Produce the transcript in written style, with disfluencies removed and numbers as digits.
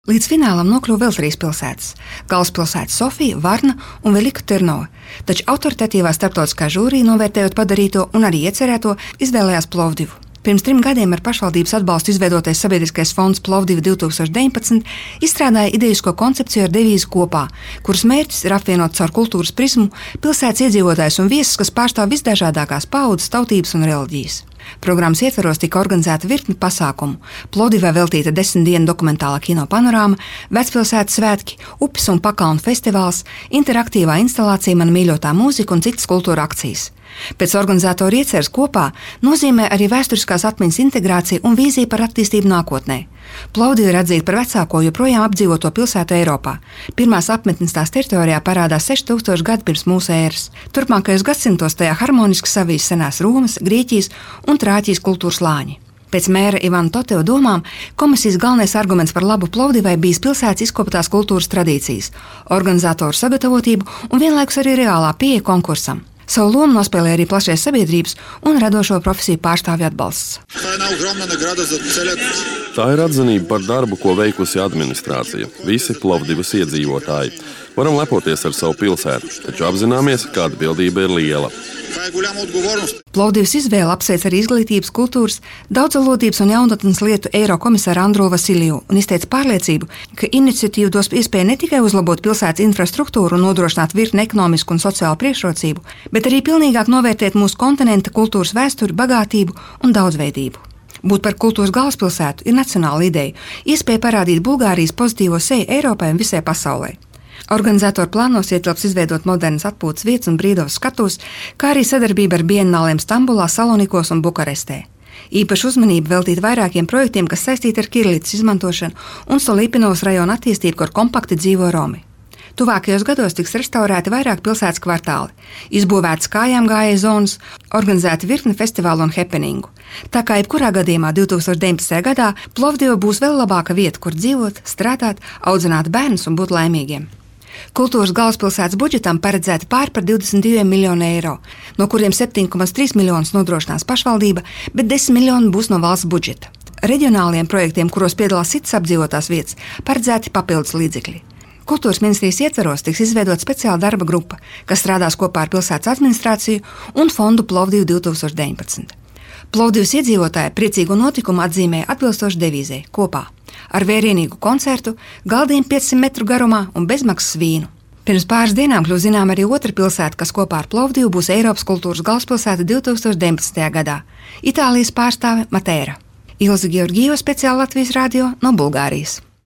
Līdz finālam nokļuva vēl 3 pilsētas - galvaspilsēta Sofija, Varna un Velika Ternova, taču autoritatīvā starptautiskā žūrija, novērtējot padarīto un arī iecerēto, izvēlējās Plovdivu. Pirms 3 gadiem ar pašvaldības atbalstu izveidotais sabiedriskais fonds Plovdiva 2019 izstrādāja idejisko koncepciju ar devīzi kopā, kuras mērķis ir apvienot caur kultūras prizmu pilsētas iedzīvotājus un viesus, kas pārstāv visdažādākās paaudzes, tautības un reliģijas. Programmas ietvaros tika organizēta virkne pasākumu. Plovdivā veltīta 10 dienu dokumentālā kino panorāma, vecpilsētas svētki, upes un pakalnu festivāls, interaktīvā instalācija Mana mīļotā mūzika un citas kultūra akcijas. Pēc organizatoru ieceres kopā nozīmē arī vēsturiskās atmiņas integrāciju un vīziju par attīstību nākotnē. Plovdiva ir atzīta par vecāko joprojām apdzīvoto pilsētu Eiropā. Pirmās apmetnes tās teritorijā parādās 6000 gadu pirms mūsu ēras. Turpmākajos gadsimtos tajā harmoniski savijas senās Romas, Grieķijas un Trāķijas kultūras lāņi. Pēc mēra Ivana Toteva domām, komisijas galvenais arguments par labu Plovdivai bijis pilsētas izkopotās kultūras tradīcijas, organizatoru sagatavotību un vienlaikus arī reālā pieeja konkursam. Savu lomu nospēlēja arī plašais sabiedrības un radošo profesiju pārstāvju atbalsts. Tā ir atzinība par darbu, ko veikusi administrācija, visi Plovdivas iedzīvotāji. Varam lepoties ar savu pilsētu, taču apzināmies, ka atbildība ir liela. Plovdivas izvēle apsveic arī izglītības, kultūras, daudzvalodības un jaunatnes lietu eirokomisāru Andru Vasiliju un izteica pārliecību, ka iniciatīva dos iespēju ne tikai uzlabot pilsētas infrastruktūru un nodrošināt virkni ekonomisku un sociālu priekšrocību, bet arī pilnīgāk novērtēt mūsu kontinenta kultūras vēsturi, bagātību un daudzveidību. Būt par kultūras galvaspilsētu ir nacionāla ideja, iespēja parādīt Bulgārijas pozitīvo seju Eiropai un visai pasaulē. Organizatori plānos ietilps izveidot modernas atpūtas vietas un brīvdabas skatuves, kā arī sadarbība ar bienāliem Stambulā, Salonikos un Bukarestē. Īpaši uzmanību veltīt vairākiem projektiem, kas saistīti ar kirillīcas izmantošanu un Solīpinovas rajona attīstību, kur kompakti dzīvo Romi. Tuvākajos gados tiks restaurēti vairāk pilsētas kvartāli, izbūvētas kājām gājēju zonas, organizēti virkni festivālu un happeningu. Tā kā jebkurā gadījumā 2019. gadā Plovdiva būs vēl labāka vieta, kur dzīvot, strādāt, audzināt bērnus un būt laimīgiem. Kultūras galvaspilsētas budžetam paredzēti pār par 22 miljonu eiro, no kuriem 7,3 miljonus nodrošinās pašvaldība, bet 10 miljoni būs no valsts budžeta. Reģionāliem projektiem, kuros piedalās citas apdzīvotās vietas, paredzēti papildus līdzekļi. Kultūras ministrijas ietvaros tiks izveidota speciāla darba grupa, kas strādās kopā ar pilsētas administrāciju un fondu Plovdiva 2019. Plovdivas iedzīvotāji priecīgo notikumu atzīmē atbilstoši devīzei kopā ar vērienīgu koncertu, galdiem 500 metru garumā un bezmaksas vīnu. Pirms pāris dienām kļuva zinām arī otra pilsēta, kas kopā ar Plovdivu būs Eiropas kultūras galvaspilsēta 2019. gadā - Itālijas pārstāve Matēra. Ilze Georgijeva, speciāli Latvijas radio no Bulgārijas.